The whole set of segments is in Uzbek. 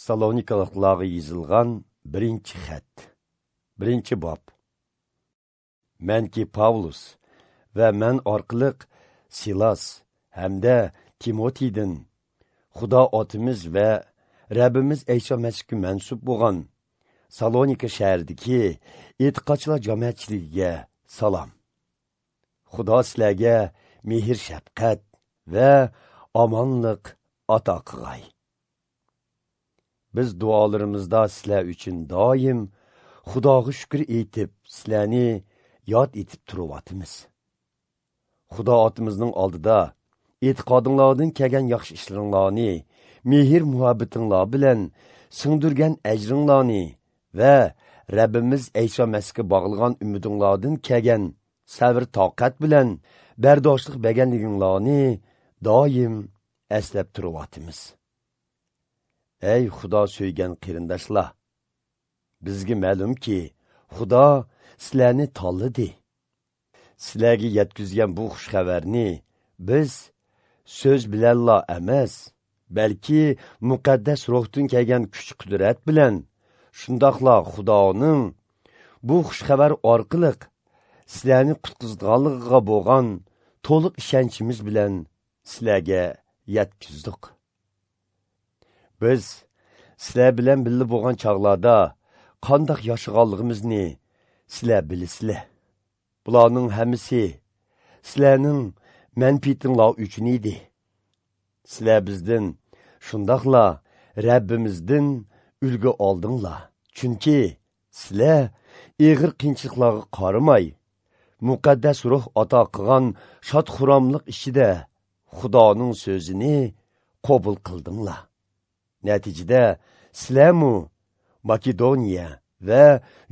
Salonikaliklarga yozilgan birinchi xat. Birinchi bob. Manki Pavlus va men orqali Silas hamda Timotiydan Xudo otimiz va Rabbimiz Ayso Masihga mansub bo'lgan Salonika shahridagi e'tiqodchilar jamoatchiligiga salom. Xudo sizlarga mehr shafqat va omonlik ato qilg'ay. Biz duolarimizda sizlar uchun doim Xudoga shukr etib, sizlarni yod etib turyapmiz. Xudo otimizning oldida e'tiqodinglardan kelgan yaxshi ishlaringlarni, mehr muhabbatinglar bilan singdirgan ajringlarni va Rabbimiz Ayso Masihga bog'lagan umidinglardan kelgan sabr toqat bilan bardoshlik berganliginglarni doim eslab turyapmiz. Ey Xudo so'ygan qarindoshlar, bizga ma'lumki, Xudo sizlarni tanladi. Sizlarga yetkazgan bu xush xabarni biz so'z bilanla emas, balki muqaddas ruhdan kelgan kuch-qudrat bilan, shundoqla Xudoning bu xush xabar orqali sizlarni qutqizganligiga bo'lgan to'liq ishonchimiz bilan sizlarga yetkazdik. Biz sizlar bilan birga bo'lgan chog'larda qandoq yashaganligimizni sizlar bilasizlar. Bularning hammasi sizlarning manfaatinglar uchun edi. Sizlar bizdan, shundoqla Rabbimizdan ulgu oldinglar. Chunki sizlar ig'ir qiyinchiliklarga qaramay, muqaddas ruh ato qilgan shod-xurramlik ichida Xudoning so'zini qabul qildinglar. Natijada sizlarmu Makedoniya va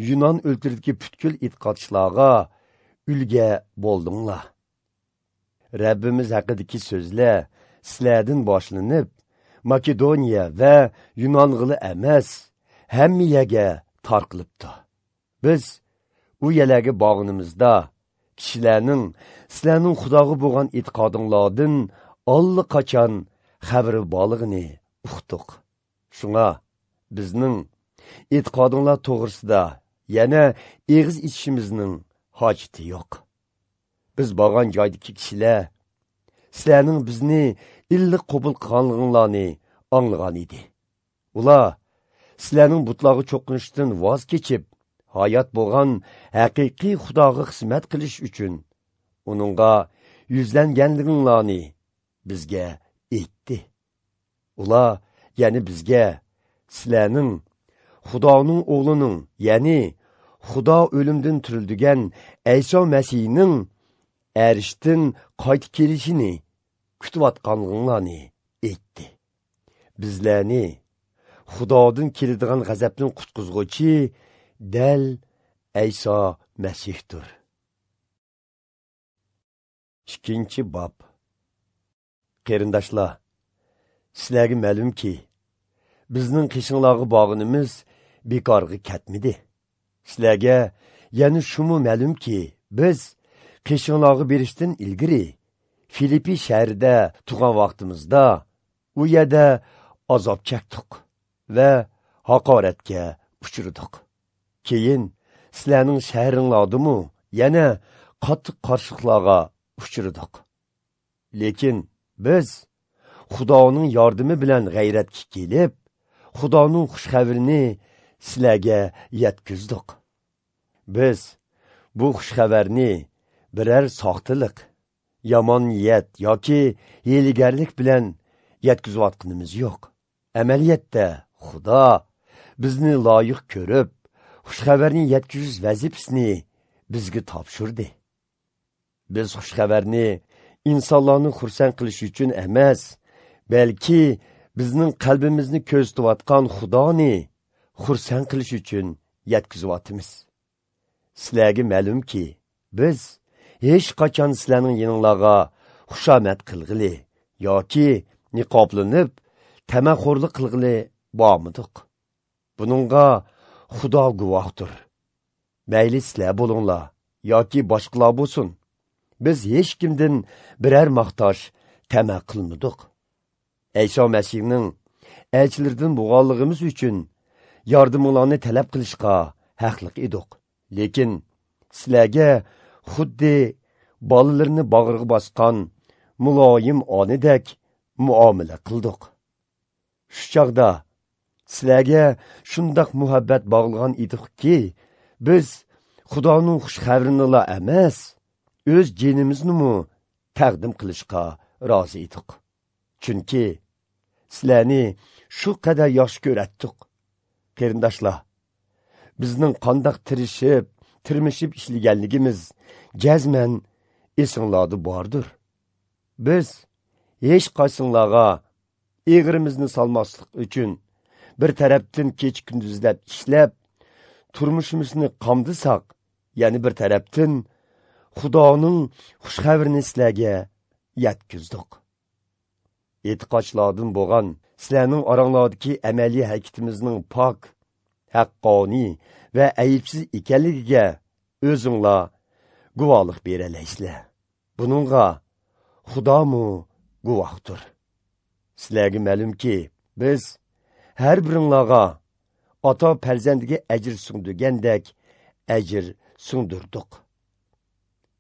Yunon o'lkasidagi butkul e'tiqodchilarga ulga bo'ldinglar. Rabbimiz haqidagi so'zlar sizlardan boshlanib, Makedoniya va Yunong'ili emas, hamma yerga tarqalibdi. Biz u yerlarga borganimizda kishilarning sizlarning Xudoga bo'lgan e'tiqodinglardan allaqachon xabari borligini uqdik. Shunga bizning e'tiqodinglar to'g'risida yana eg'iz ichishimizning hojati yo'q. Biz borgan joydagi kishilar sizlarning bizni illiq qabul qilganliginglarni anglagan edi. Ular sizlarning butlarga cho'qinishdan voz kechib, hayot bo'lgan haqiqiy Xudoga xizmat qilish uchun uningga yuzlanganliginglarni bizga aytdi. Ular ya'ni bizga sizlarning Xudoning o'g'lining, ya'ni Xudo o'limdan tirildigan Ayso Masihning arishdan qaytib kelishini kutayotganliginglarni aytdi. Bizlarni Xudodan keladigan g'azabdan qutqizg'uchi dal Ayso Masihdir. 2-bob. Qarindoshlar, sizlarga ma'lumki, bizning qishinglarga borganimiz bekorga ketmadi. Sizlarga yana shumi ma'lumki, biz qishinglarga berishdan ilgari Filippi shahrida turgan vaqtimizda u yerda azob chekdik va haqoratga uchradik. Keyin sizlarning shahringlardimi yana qattiq qarshiliklarga uchradik. Lekin biz Xudoning yordami bilan g'ayratga kelib, Xudoning xush xabarini sizlarga yetkazdik. Biz bu xush xabarni biror soxtalik, yomon niyat yoki hiylagarlik bilan yetkazayotganimiz yo'q. Amaliyotda Xudo bizni loyiq ko'rib, xush xabarni yetkazish vazifasini bizga topshirdi. Biz xush xabarni insonlarni xursand qilish uchun emas, balki bizning qalbimizni ko'zlatayotgan Xudoni xursand qilish uchun yetkazyapmiz. Sizlarga ma'lumki, biz hech qachon sizlarning yoninglarga xushomat qilg'ili yoki niqoblanib tamaxo'rlik qilg'ili bormadik. Buningga Xudo guvohdir. Mayli sizlar bo'linglar yoki boshqalar bo'lsin, biz hech kimdan biror maqtash tama qilmadik. Ayso Masihning elchilaridan bo'lganligimiz uchun yordaminglarni talab qilishga haqliq edik. Lekin sizlarga xuddi bolalarini bag'riga bosgan muloyim onadek muomala qildik. Shu chog'da sizlarga shundoq muhabbat bog'lagan edikki, biz Xudoning xush xabarini emas, o'z jinimizni taqdim qilishga rozi edik. Chunki sizlarni shu qadar yaxshi ko'ratdik. Qarindoshlar, bizning qandoq tirishib, tirmishib ishlaganligimiz jazman esinglarda bordir. Biz hech qaysinglarga eg'irimizni solmaslik uchun bir tarafdan kecha kunduzlab ishlab, turmushimizni qamdisak, ya'ni bir tarafdan Xudoning xush xabarini sizlarga yetkazdik. E'tiqodchilardan bo'lgan sizlarning oranglardagi amaliy harakatimizning pok, haqqoniy va aybsiz ekanligiga o'zinglar guvohlik beralaysizlar. Buningga Xudomu guvohdir. Sizlarga ma'lumki, biz har biringlarga ota farzandiga ajr singdirgandek ajr singdirdik.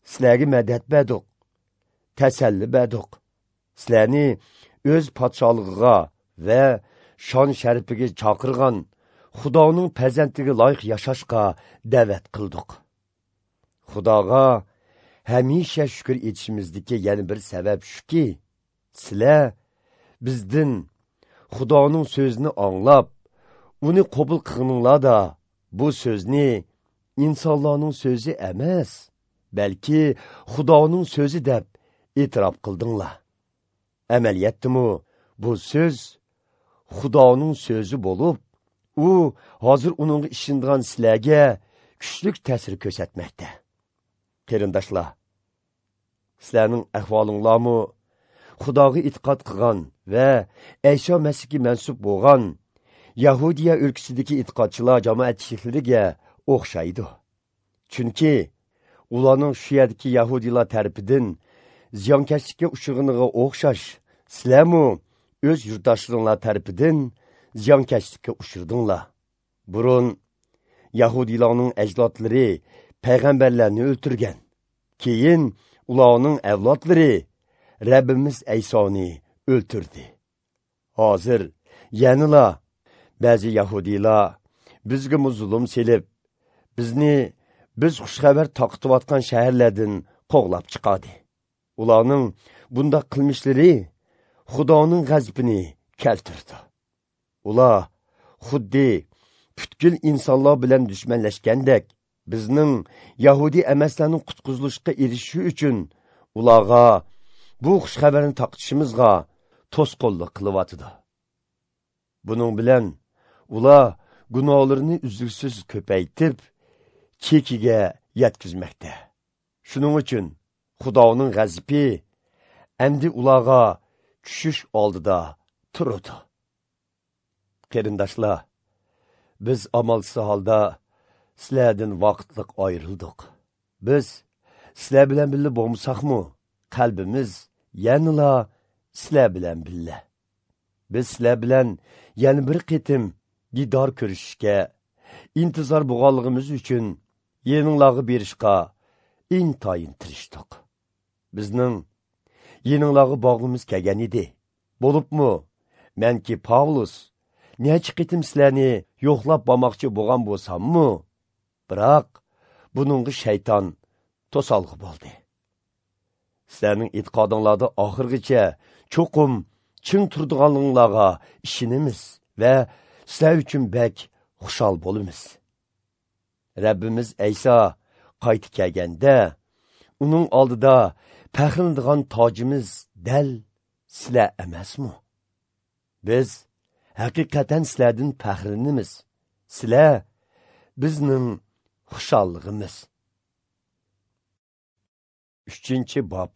Sizlarga madad berdik, tasalli berdik. Sizlarni o'z podsholig'iga va shon sharifiga chaqirgan Xudoning farzandiga loyiq yashashga da'vat qildik. Xudoga hamisha shukr etishimizdagi yana bir sabab shuki, sizlar bizdan Xudoning so'zini anglab, uni qabul qilganinglarda bu so'zni insonlarning so'zi emas, balki Xudoning so'zi deb e'tirof qildinglar. Amaliyotdimi bu so'z Xudoning so'zi bo'lib, u hozir uningga ishongan sizlarga kuchli ta'sir ko'rsatmoqda. Qarindoshlar, sizlarning ahvolinglarmi Xudoga e'tiqod qilgan va Ayso Masihga mansub bo'lgan Yahudiya o'lkasidagi e'tiqodchilar jamoatchiliklariga o'xshaydi. Chunki ularning shu yerdagi yahudiylar tarafidan ziyonkashlikka uchraganiga o'xshash, sizlarmi o'z yurtdoshlaringlar tarafidan ziyonkashlikka uchradinglar. Burun yahudiylarning ajdodlari payg'ambarlarni o'ltirgan. Keyin ularning avlodlari Rabbimiz Aysoni o'ltirdi. Hozir yanala ba'zi yahudiylar bizga zulm selib, bizni biz xushxabar taqitayotgan shaharlardan qo'g'lab chiqadi. Ularning bundaq qilmishlari Xudoning g'azabini keltirdi. Ular xuddi butkul insonlar bilan dushmanlashgandek, bizning yahudi emaslarning qutqizilishga erishishi uchun ularga bu xushxabarni taqitishimizga to'sqinlik qilyotidi. Buning bilan ular gunohlarini uzluksiz ko'paytirib, chekiga yetkazmoqda. Shuning uchun Xudoning g'azabi endi ularga tushish oldida turadi. Qarindoshlar, biz amalsiz holda sizlardan vaqtliq ayrildik. Biz sizlar bilan birga bo'lmasakmi, qalbimiz yanala sizlar bilan birga. Biz sizlar bilan yana bir qitim didor ko'rishishga intizor bo'lganligimiz uchun yeninglarga berishga intayin tirishdik. Bizning yeninglarga bog'imiz kelgan edi. Bo'libmi, menki Pavlus necha qitim sizlarni yo'qlab bormoqchi bo'lgan bo'lsammi, biroq buningga shayton to'solg'i bo'ldi. Sizlarning e'tiqodinglarda oxirgacha cho'qim ching turdiganliginglarga ishonamiz va sizlar uchun bak xushal bo'lamiz. Rabbimiz Ayso qaytib kelganda, uning oldida faxrlanadigan tojimiz dal sizlar emasmi? Biz haqiqatan sizlardan faxrlanamiz. Sizlar bizning xushalligimiz. 3-bob.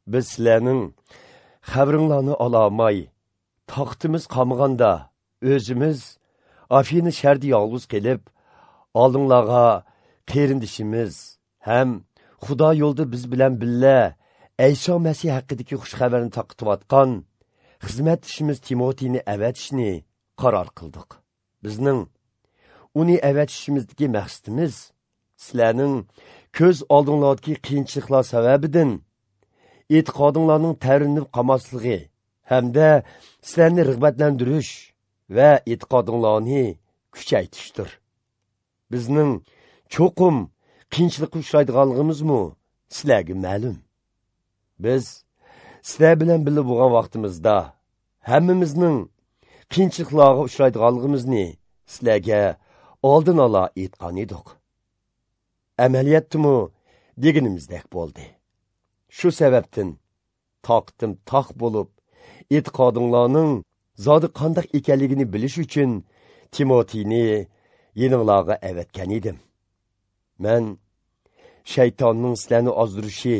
Biz sizlarning xabaringlarni olamay, taqtimiz qolmaganda o'zimiz Afina shahrida yolg'iz qilib, oldinglarga qarindishimiz ham Xudo yo'lida biz bilan birga Ayso Masih haqidagi xush xabarni taqitayotgan xizmatchimiz Timotiyni avatishni qaror qildik. Bizning uni avatishimizdagi maqsadimiz sizlarning ko'z oldinglardagi qiyinchiliklar sababidan e'tiqodinglarning tavrinib qolmasligi hamda sizlarni rag'batlantirish va e'tiqodinglarni kuchaytirishdir. Bizning cho'qim qiyinchilikqa uchraydiganligimizmi sizlarga ma'lum. Biz sizlar bilan birga bo'lgan vaqtimizda hammamizning qiyinchiliklarga uchraydiganligimizni sizlarga oldin ola aytgan edik. Amaliyotdimi deganimizdek bo'ldi. Shu sababdan toqatim toq bo'lib, e'tiqodinglarning zodi qandoq ekanligini bilish uchun Timotiyni yeninglarga avatgan edim. Men shaytonning sizlarni ozdirishi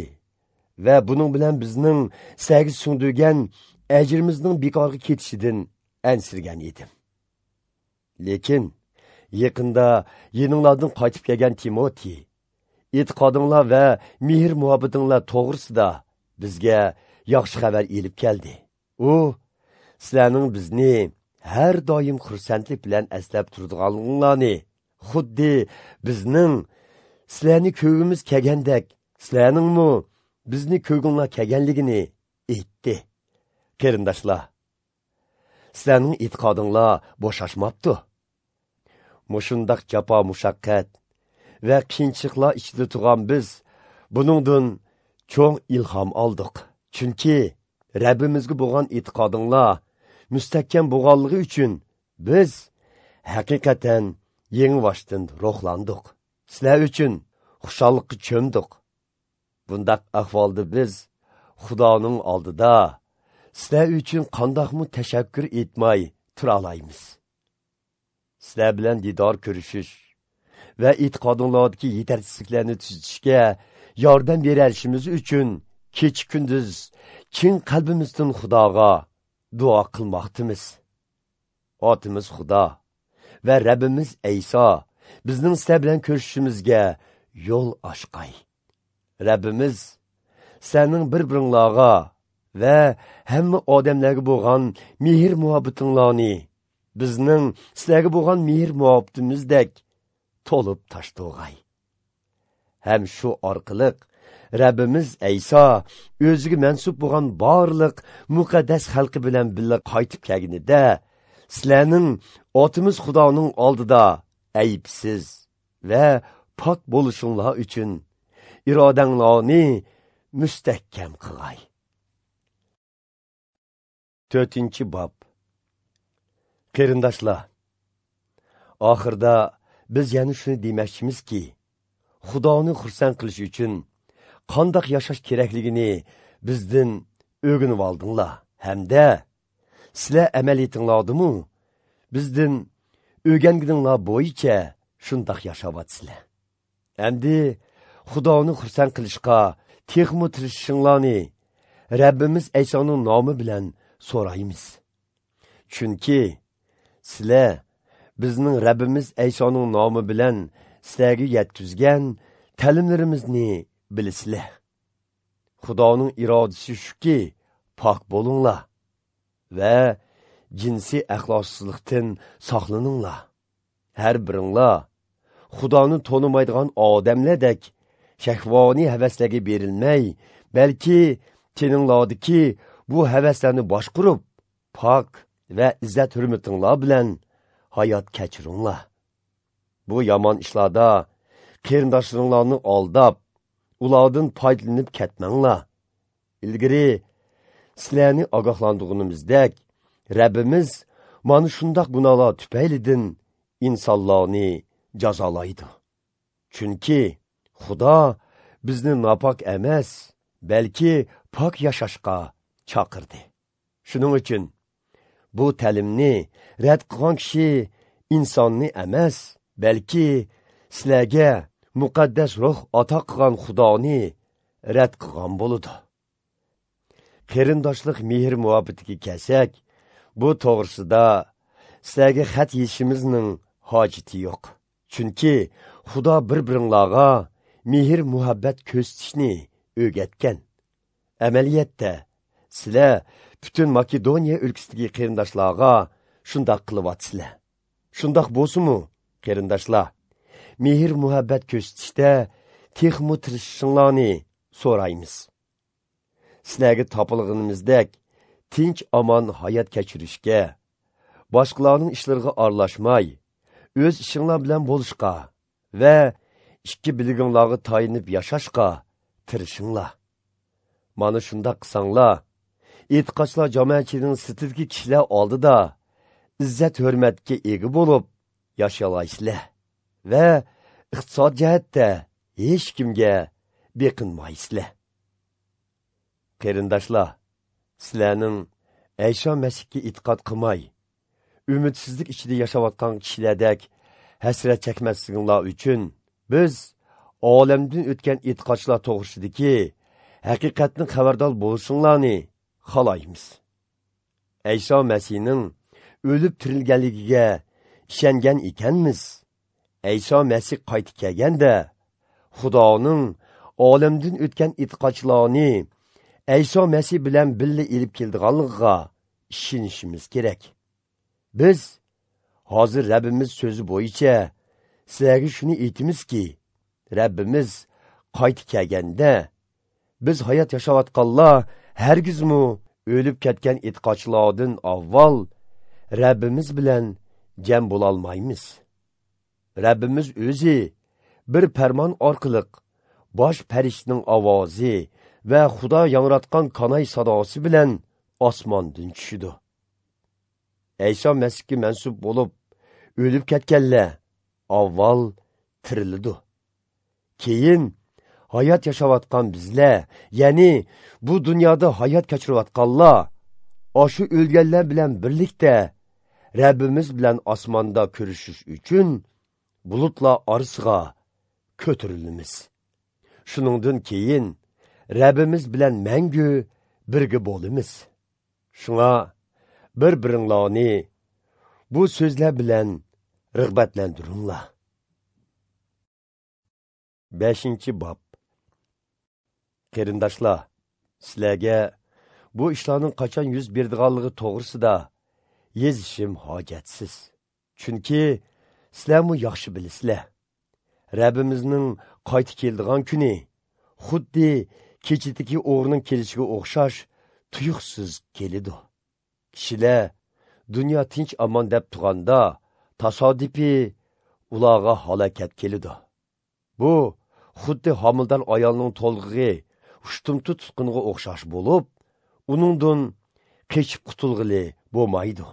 va buning bilan bizning sizlarga singdirgan ajrimizning bekorga ketishidan ansirgan edim. Lekin yaqinda yeninglardan qaytib kelgan Timotey e'tiqodinglar va mehr muhabbatinglar to'g'risida bizga yaxshi xabar elib keldi. U sizlarning bizni har doim xursandlik bilan eslab turadiganliginglarni, xuddi bizning sizlarni ko'gimiz kelgandek, sizlarningmi bizni ko'ginglar kelganligini aytdi. Qarindoshlar, sizlarning e'tiqodinglar bo'shashmabdi. Mushundaq jafo mushaqqat va qiyinchiliklar ichida turgan biz buningdan cho'ng ilhom oldik. Chunki Rabbimizga bo'lgan e'tiqodinglar mustahkam bo'lganligi uchun biz haqiqatan yangi ruhlandik. Sizlar uchun xushallikqa cho'mdik. Bundaq ahvolda biz Xudoning oldida sizlar uchun qandoqmi tashakkur etmay tura olamiz. Sizlar bilan didor ko'rishish va e'tiqodinglardagi yetarchisiliklarni tuzatishga yordam berishimiz uchun kecha kunduz chin qalbimizdan Xudoga duo qilmoqdimiz. Otimiz Xudo va Rabbimiz Ayso bizning sizlar bilan ko'rishishimizga yo'l ochqay. Rabbimiz sizlarning bir-biringlarga va hamma odamlarga bo'lgan mehr muhabbatinglarni bizning sizlarga bo'lgan mehr muhabbatimizdek to'lib toshtirg'ay. Ham shu orqali Rabbimiz Ayso o'ziga mansub bo'lgan barliq muqaddas xalqi bilan birga qaytib kelganida sizlarning Otimiz Xudoning oldida aybsiz va pok bo'lishinglar uchun irodanglarni mustahkam qilg'ay. 4-bob. Qarindoshlar, oxirda biz yana shuni demoqchimizki, Xudoni xursand qilish uchun qandoq yashash kerakligini bizdan o'rganib oldinglar hamda sizlar amaliyatinglardimi bizdan o'rganganinglar bo'yicha shundoq yashayapsizlar. Endi Xudoni xursand qilishga texmi tirishishinglarni Rabbimiz Aysoning nomi bilan so'raymiz. Chunki sizlar bizning Rabbimiz Aysoning nomi bilan sizlarga yetkazgan ta'limlarimizni bilasizlar. Xudoning irodasi shuki, pok bo'linglar va jinsiy axloqsizlikdan saqlaninglar. Har biringlar Xudoni tonimaydigan odamlardek shahvoniy havaslarga berilmay, balki teninglardagi bu havaslarni boshqarib, pok va izzat hurmatinglar bilan hayot kechiringlar. Bu yomon ishlarda qarindoshlaringlarni aldab, ulardan foydalanib ketmanglar. Ilgari sizlarni ogohlantirganimizdek, Rabbimiz mana shundoq gunohlar tufaylidan insonlarni jazolaydi. Chunki Xudo bizni nopok emas, balki pok yashashga chaqirdi. Shuning uchun bu ta'limni rad qilgan kishi insonni emas, balki sizlarga muqaddas ruh ato qilgan Xudoni rad qilgan bo'ladi. Qarindoshlik mehr muhabbatiga kelsak, bu to'g'risida sizlarga xat yeyishimizning hojati yo'q. Chunki Xudo bir-biringlarga mehr muhabbat ko'rsatishni o'rgatgan. Amaliyotda sizlar butun Makedoniya o'lkasidagi qarindoshlarga shundoq qilyapsizlar. Shundoq bo'lsa-mu, qarindoshlar, mehr muhabbat ko'rsatishda texmu tirishishinglarni so'raymiz. Sizlarga topilganimizdek tinch omon hayot kechirishga, boshqalarning ishlariga aralashmay, o'z ishinglar bilan bo'lishga va ikki bilginglarga tayinib yashashga tirishinglar. Mana shundoq qilsanglar, e'tiqodchilar jamoatchiligining sirtidagi kishilar oldida izzat hurmatga ega bo'lib yashalaysizlar va iqtisod jihatda hech kimga beqinmaysizlar. Qarindoshlar, sizlarning Ayso Masihga e'tiqod qilmay, umidsizlik ichida yashayotgan kishilardek hasrat chekmasliginglar uchun biz olamdan o'tgan e'tiqodchilar to'g'risidagi haqiqatni xabardor bo'lishinglarni xohlaymiz. Ayso Masihning o'lib tirilganligiga ishongan ekanmiz, Ayso Masih qaytib kelganda Xudoning olamdan o'tgan e'tiqodchilarni Ayso Masih bilan birga elib keldiganligiga ishonishimiz kerak. Biz hozir Rabbimiz so'zi bo'yicha sizlarga shuni aytamizki, Rabbimiz qaytib kelganda biz hayot yashayotganlar hargizmi o'lib ketgan e'tiqodchilardan avval Rabbimiz bilan jam bo'lolmaymiz. Rabbimiz o'zi bir farmon orqali bosh farishtaning ovozi va Xudo yangratgan kanay sadosi bilan osmondan tushidi. Ayso Masihga mansub bo'lib o'lib ketganlar avval tirildi. Keyin hayot yashayotgan bizlar, ya'ni bu dunyoda hayot kechirayotganlar, shu o'lganlar bilan birlikda Rabbimiz bilan osmonda ko'rishish uchun bulutlar orasiga ko'tarilamiz. Shuningdan keyin Rabbimiz bilan mangu birga bo'lamiz. Shunga bir-biringlarni bu so'zlar bilan rag'batlantiringlar. 5-bob. Qarindoshlar, sizlarga bu ishlarning qachon yuz berdiganligi to'g'risida yozishim hojatsiz. Chunki sizlarmi yaxshi bilasizlar. Rabbimizning qaytib keladigan kuni xuddi kechidagi o'g'rining kelishiga o'xshash tuyuqsiz keladi. Kishilar dunyo tinch omon deb turganda tasodifiy ularga halokat keladi. Bu xuddi homildor ayolning to'lg'ig'i ushtumtut tutqunga o'xshash bo'lib, uningdan qechib qutulg'ili bo'lmaydi.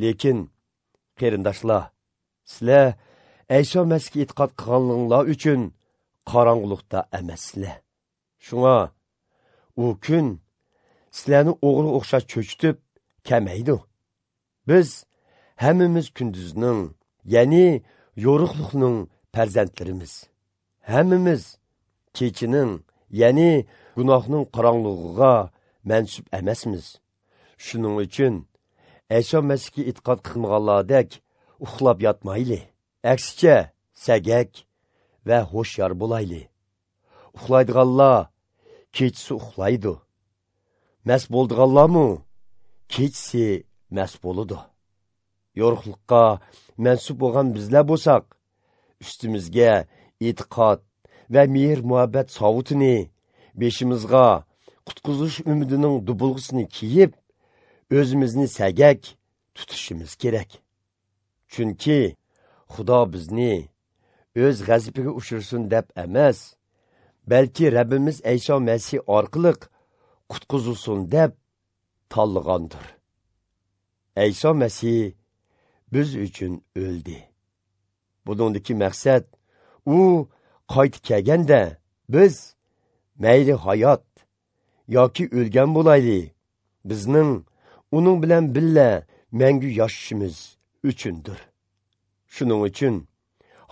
Lekin qarindoshlar, sizlar Ayso Masihga e'tiqod qilganinglar uchun qorong'ulikda emassizlar. Shunga u kun sizlarni o'g'ri o'xshash cho'chitib kamaydi. Biz hammamiz kunduzning, ya'ni yo'riqlikning farzandlarimiz. Hammamiz kechining, ya'ni gunohning qorong'ulig'iga mansub emasmiz. Shuning uchun Ayso Masihga e'tiqod qilmaganlardek uxlab yotmayli. Aksicha sagak va hushyor bo'layli. Uxlaydiganlar kechasi uxlaydi. Mast bo'ldiganlarmi kechasi mast bo'ladi. Yo'riqlikqa mansub bo'lgan bizlar bo'lsak, ustimizga e'tiqod va mehr muhabbat sovutini, beshimizga qutqizish umidining dubulg'isini kiyib, o'zimizni sagak tutishimiz kerak. Chunki Xudo bizni o'z g'azabiga uchirsin deb emas, balki Rabbimiz Ayso Masih orqali qutqizilsin deb tanlagandir. Ayso Masih biz uchun o'ldi. Buningdagi maqsad u qaytib kelganda biz mayli hayot yoki o'lgan bo'layli, bizning uning bilan birga mangu yashashimiz uchundir. Shuning uchun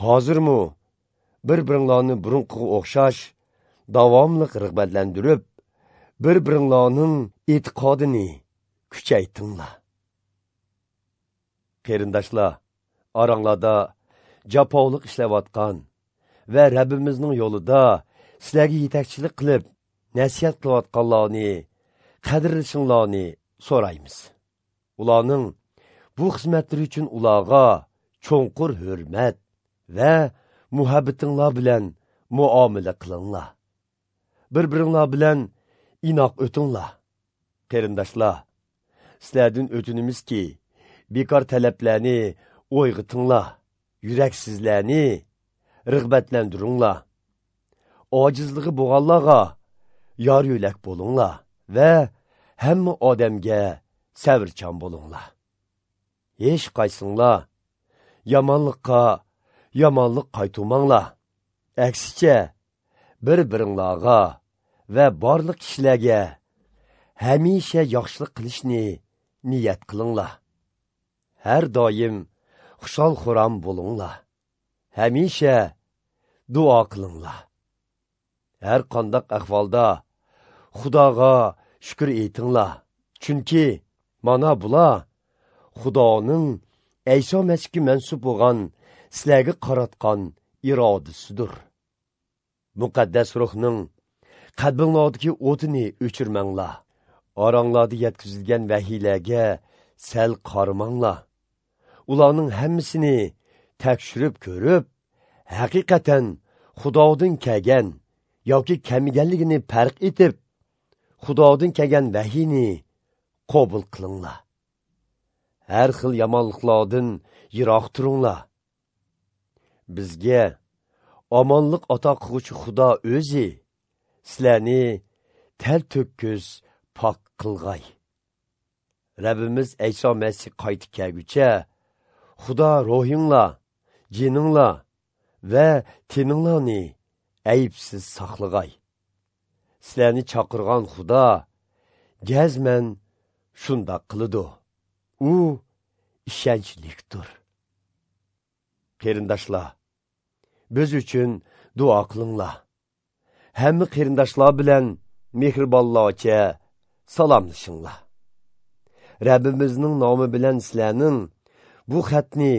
hozirmi bir-biringlarni burunqiga o'xshash davomli rag'batlantirib, bir-biringlarning e'tiqodini kuchaytinglar. Qarindoshlar, oranglarda jafolik ishlayotgan va Rabbimizning yo'lida sizlarga yetakchilik qilib, nasihat qilayotganlarni qadrlashinglarni so'raymiz. Ularning bu xizmatlari uchun ularga cho'nqur hurmat va muhabbatinglar bilan muomala qilinglar. Bir-biringlar bilan inoq o'tinglar. Qarindoshlar, sizlardan o'tinimizki, bekor talablarni o'yg'otinglar, yuraksizlarni rag'batlantiringlar. Ojizligi bo'lganlarga yor yo'lak bo'linglar va hamma odamga sabrchan bo'linglar. Hech qaysinglar yomonlikqa yomonlik qaytarmanglar. Aksicha bir-biringlarga va barliq kishilarga hamisha yaxshilik qilishni niyat qilinglar. Har doim xushal xuram bo'linglar. Hamisha duo qilinglar. Har qandaq ahvolda Xudoga shukr aytinglar. Chunki mana bular Xudoning Ayso Masihga mansub bo'lgan sizlarga qaratgan irodasidir. Muqaddas ruhning qalbinglardagi o'tini o'chirmanglar. Oranglarda yetkazilgan vahiylarga sal qaramanglar. Ularning hammasini tekshirib ko'rib, haqiqatan Xudodan kelgan yoki kelmaganligini farq etib, Xudodan kelgan vahiyni qabul qilinglar. Har xil yomonliklardan yiroq turinglar. Bizga omonlik ato qilguvchi Xudo o'zi sizlarni tel to'kis pok qilg'ay. Rabbimiz Ayso Masih qaytib kelguncha Xudo ruhinglar, jininglar va teninglarni aybsiz saqlag'ay. Sizlarni chaqirgan Xudo jazman shundoq qiladi. U ishonchlikdir. Qarindoshlar, biz uchun duo qilinglar. Hamma qarindoshlar bilan mehribonlarcha salomlashinglar. Rabbimizning nomi bilan sizlarning bu xatni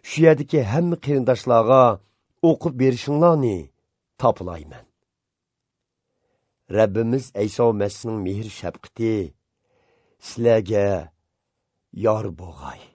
shu yerdagi hamma qarindoshlarga o'qib berishinglarni topilayman. Rabbimiz Ayso Masihning mehr shafqati sizlarga yor bo'lg'ay.